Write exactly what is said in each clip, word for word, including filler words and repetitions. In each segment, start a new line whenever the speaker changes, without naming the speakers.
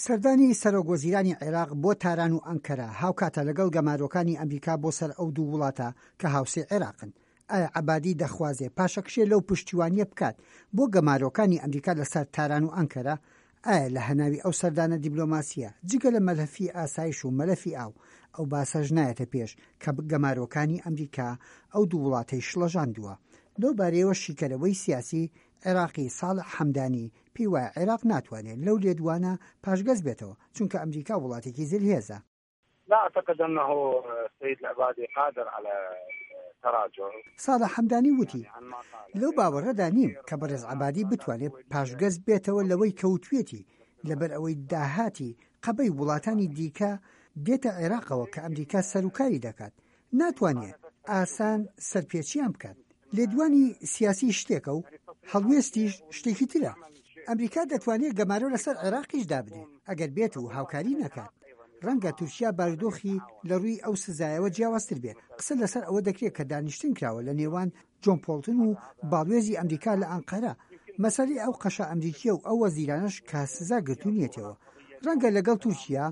سەردانی سەرۆک وەزیرانی عێراق بۆ تاران و ئەنکەرە هاوکاتە لەگەڵ گەمارۆکانی ئەمریکا بۆ سەر ئەو دوو وڵاتە کە هاوسێی عێراقن. ئایا عەبادی دەخوازێ پاشەکشێ لەو پشتیوانییە بکات بۆ گەمارۆکانی ئەمریکا لەسەر تاران و ئەنکەرە؟ ئایا لە هەناوی ئەو سەردانە دیبلۆماسییە جگە لە مەلەفی ئاسایش و مەلەفی ئاو، ئەو باسەش نایەتە پێش کە گەمارۆکانی ئەمریکا ئەو دوو وڵاتەی شڵەژاندووە؟ لەو بارەیەوە شیکەرەوەی سیاسی عێراقی ساڵح حەمدانی پێی وایە عێراق ناتوانێت لەو لێدوانە پاشگەز بێتەوە، چونکە ئەمریکا وڵاتێکی زلهێزە.
لا اعتقد انه السيد العبادي قادر على التراجع.
ساڵح حەمدانی وتی، لەو باوەڕەدا نیم کە بەڕێز عەبادی بتوانێت پاشگەز بێتەوە لەوەی کە وتویەتی، لەبەر ئەوەی داهاتی قەبەی وڵاتانی دیکە دێتە عێراقەوە کە ئەمریکا سەروکاری دەکات، ناتوانێت ئاسان سەرپێچیان بکات. لێدوانی سیاسی شتێکە و هەڵوێستیش شتێکی ترە. ئەمریکا دەتوانێت گەمارۆ لەسەر عێراقیش دابنێ ئەگەر بێت و هاوکاری نەکات. ڕەنگە تورکیا بارودۆخی لە ڕووی ئەو سزایەوە جیاوازتر بێت. قسە لەسەر ئەوە دەکرێت کە دانیشتن کراوە لە نێوان جۆن پۆڵتن و باڵوێزی ئەمریکا لە ئەنقەرە. مەسەلەی ئەو قەشە ئەمریکییە و ئەو وەزیرانەش کە سزا گرتوونیەتەوە. ڕەنگە لەگەڵ تورکیا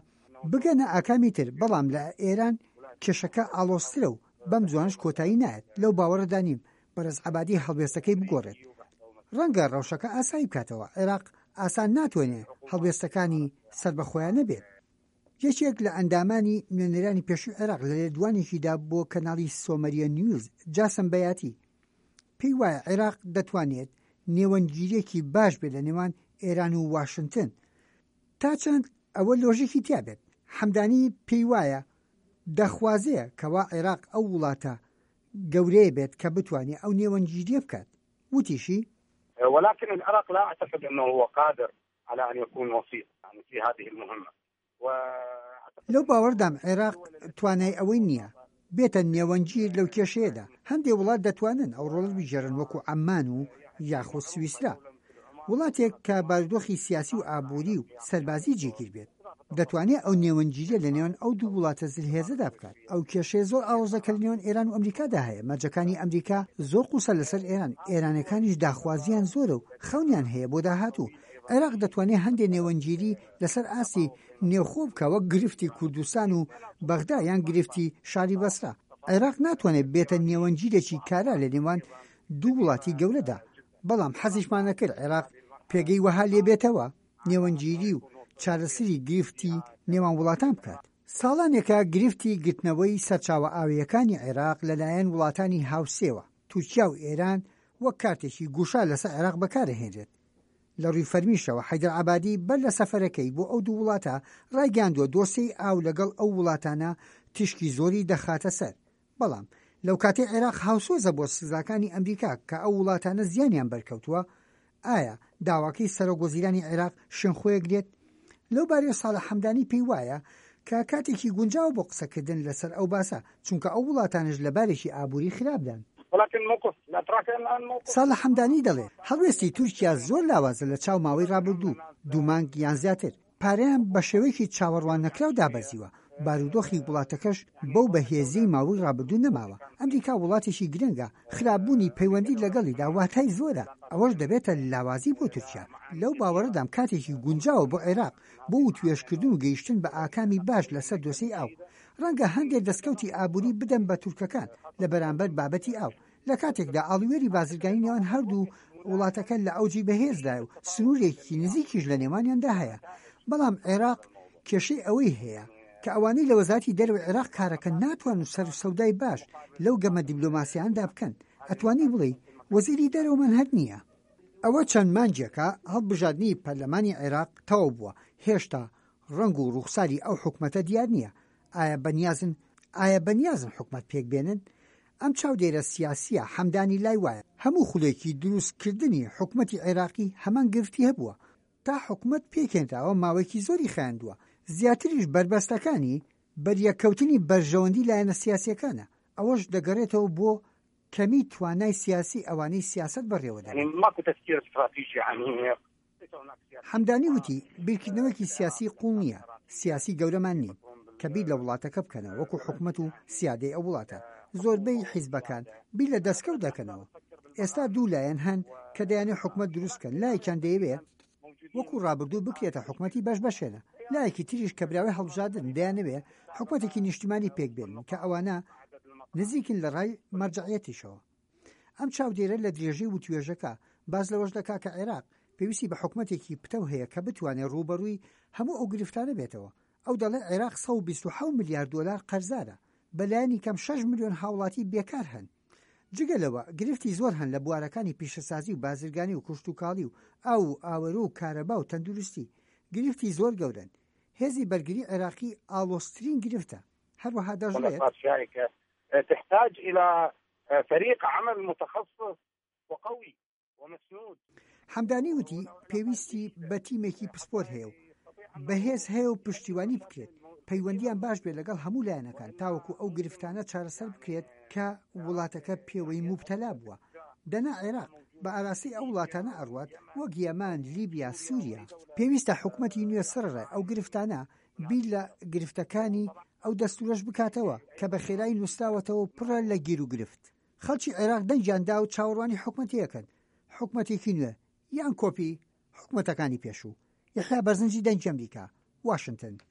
بگەنە ئاکامی تر، بەڵام لە ئێران کێشەکە ئاڵۆزترە و بەم زوانەش کۆتایی نایەت. لەو باوەڕەدا نیم بەڕێز عەبادی هەڵوێستەکەی بگۆڕێت. ڕەنگە ڕەوشەکە ئاسایی بکاتەوە. عێراق ئاسان ناتوانێت هەڵوێستەکانی سەربەخۆیانە بێت. یەکێک لە ئەندامانی نوێنەرانی پێشووی عێراق لە لێدوانێکیدا بۆ کەناڵی سۆمەریە نیوز، جاسم بەیاتی پێی وایە عێراق دەتوانێت نێوەندگیریەکی باش بێت لە نێوان ئێران و واشنگتن، تا چەند ئەوە لۆژیکی تیا بێت. حەمدانی پێی وایە دەخوازێ کەوا عێراق ئەو وڵاتە گەورەیە بێت کە بتوانێت ئەو نێوەندگیریە بکات. وتیشی
ولكن العراق لا أعتقد أنه هو قادر على أن يكون وسيط يعني في هذه المهمة.
لەو باوەڕدام عێراق توانای ئەوەی نییە بێتە نێوەندگیر لەو کێشەیەدا. هەندێک وڵات دەتوانن ئەو ڕۆڵ بگێڕن وەکو عەممان و یاخود سویسرا، وڵاتێک کە بارودۆخی سیاسی و ئابووری و سەربازی جێگیر بێت دەتوانێت ئەو نێوەندگیریە لە نێوان ئەو دوو وڵاتە زلهێزەدا بکات. ئەو کێشەیە زۆر ئاڵۆزە کە لە نێوان ئێران و ئەمریکادا هەیە. مەرجەکانی ئەمریکا زۆر قورسە لەسەر ئێران، ئێرانەکانیش داخوازیان زۆرە و خەونیان هەیە بۆ داهاتوو. عێراق دەتوانێت هەندێک نێوەندگیری لەسەر ئاستی نێوخۆ بکە، وەک گرفتی کوردستان و بەغدا یان گرفتی شاری بەسرا. عێراق ناتوانێت بێتە نێوەندگیرێکی کارا لە نێوان دوو وڵاتی گەورەدا، بەڵام حەزیشمان نەکرد عێراق پێگەی وەها لێبێتەوە نێوەندگیری و چارەسەری گرفتی نێوان وڵاتان بکات. ساڵانێکە گرفتی گرتنەوەی سەرچاوە ئاویەکانی عێراق لەلایەن وڵاتانی هاوسێوە، تورکیا و ئێران، وەک کارتێکی گوشار لەسەر عێراق بەکارهێنرێت. لە ڕووی فەرمیشەوە حەیدەر عەبادی بەر لە سەفەرەکەی بۆ ئەو دوو وڵاتە ڕایگەیاندووە دۆسیەی ئاو لەگەڵ ئەو وڵاتانە تیشکی زۆری دەخاتە سەر. بەڵام لەو کاتەی عێراق هاوسۆزە بۆ سزاکانی ئەمریکا کە ئەو وڵاتانە زیانیان بەرکەوتووە، ئایا داواکەی سەرۆک وەزیرانی عێراق شوێنخۆیەگرێت؟ لەو بارەیەوە ساڵح حەمدانی پێی وایە کە کاتێکی گونجاوە بۆ قسەکردن لەسەر ئەو باسە، چونکە ئەو وڵاتانش لە بارێکی ئابووری خراپدان.
ولكن موقف الاتراك الان موقف
ساڵح حەمدانی دەڵێ هەڵوێستی تورکیا زۆر لاوازە لە چاو ماوەی ڕابردوو، دوو مانگ یان زیاتر. پارەیان بە شێوەیەکی چاوەڕوان نەکراو دابەزیوە، بارودۆخی وڵاتەکەش بەو بەهێزیی ماوەی ڕابردوو نەماوە. ئەمریکا وڵاتێکی گرنگە، خراپبوونی پەیوەندی لەگەڵیدا واتای زۆرە، ئەوەش دەبێتە لاوازی بۆ تورکیا. لەو باوەڕەدام کاتێکی گونجاوە بۆ عێراق بۆ وتوێژکردن و گەیشتن بە ئاکامی باش لەسەر دۆسیەی ئاو. ڕەنگە هەندێک دەستکەوتی ئابووری بدەن بە تورکەکان لە بەرامبەر بابەتی ئاو، لە کاتێکدا ئاڵوێری بازرگانی نێوان هەردوو وڵاتەکە لە ئەوجی بەهێزدایە و سنوورێکی نزیکیش لە نێوانیاندا هەیە. بەڵام عێراق کێشەی ئەوەی هەیە کە ئەوانەی لە وەزارەتی دەرەوەی عێراق کارەکە ناتوانن سەر و سەودای باش لەو گەمە دیبلۆماسیاندا بکەن. ئەتوانی بڵێ وەزیری دەرەوەمان هەر نییە. ئەوە چەند مانگێکە هەڵبژاردنی پەرلەمانی عێراق تەواو بووە، هێشتا ڕەنگ و ڕوخساری ئەو حکومەتە دیار نییە. ئایا بەنیازن ئایا بەنیازن حکومەت پێک بێنن؟ ئەم چاودێرە سیاسیە حەمدانی لای وایە هەموو خولێکی دروستکردنی حکومەتی عێراقی هەمان گرفتی هەبووە. تا حکومەت پێکێنراوە ماوەیەکی زۆری خایاندووە، زیاتریش بەربەستەکانی بەریەککەوتنی بەرژەوەندی لایەنە سیاسیەکانە. ئەوەش دەگەڕێتەوە بۆ کەمی توانای سیاسی ئەوانەی سیاسەت بەڕێوە
يعني
دەبەن.
ماكو تفكير استراتيجي عميق.
حەمدانی وتی بیرکردنەوەکی سیاسی قوڵ نییە، سیاسی گەورەمان نین کە بیر لە وڵاتەکە بکەنەوە وەکو حکومەت و سیادەی ئەو وڵاتە. زۆربەی حیزبەکان بیر لە دەستکەوت دەکەنەوە. ئێستا دوو لایەن هەن کە دەیانێت حکومەت دروست بکەن، لایەکیان دەیەوێت وەکو ڕابردوو بکرێتە حکومەتی بەش بەشێنە، لایەکی تریش کە براوەی هەڵبژاردن دەیانەوێ حکومەتێکی نیشتیمانی پێک بێنن کە ئەوانە نزیکن لە ڕای مەرجەعیەتیشەوە. ئەم چاودێرە لە درێژەی وتوێژەکە باس لەوەش دەکا کە عێراق پێویستی بە حکومەتێکی پتەو هەیە کە بتوانێت ڕووبەڕووی هەموو ئەو گرفتانە بێتەوە. ئەو دەڵێ عێراق سەد و بیست و حەوت ملیار دۆلار قەرزارە، بەلایەنی کەم شەش ملیۆن هاوڵاتی بێکار هەن. جگە لەوە گرفتی زۆر هەن لە بوارەکانی پیشەسازی و بازرگانی و کشتوکاڵی و ئاو و ئاوەرۆ و کارەبا و تەندروستی. گرفتی زۆر گەورەن. هێزی بەرگری عێراقی ئاڵۆزترین گرفتە. هەروەها دەشڵێت
تحتاج إلى فريق عمل متخصص وقوي ومسنود.
حەمدانی وتی پێویستی بە تیمێکی پسپۆر هەیە و بەهێز هەیە و پشتیوانی بکرێت، پەیوەندیان باش بێت لەگەڵ هەموو لایەنەکان تاوەکو ئەو گرفتانە چارەسەر بکرێت کە وڵاتەکە پێوەی موبتەلا بووە. دەنا عێراق بە ئاراستەی ئەو وڵاتانە ئەڕوات وەک یەمەن، لیبیا، سووریا. پێویستە حکومەتی نوێ سەرڕای ئەو گرفتانە بیر لە گرفتەکانی ئەو دەستورەش بکاتەوە کە بە خێرایی نووسراوەتەوە پڕە لە گیر و گرفت. خەڵکی عێراق دەنگیان دا و چاوەڕوانی حکومەتیەکەن، حکومەتێکی نوێ یان کۆپی حکومەتەکانی پێشوو. یەحیا بەرزنجی، دەنگی ئەمریکا، واشنگتن.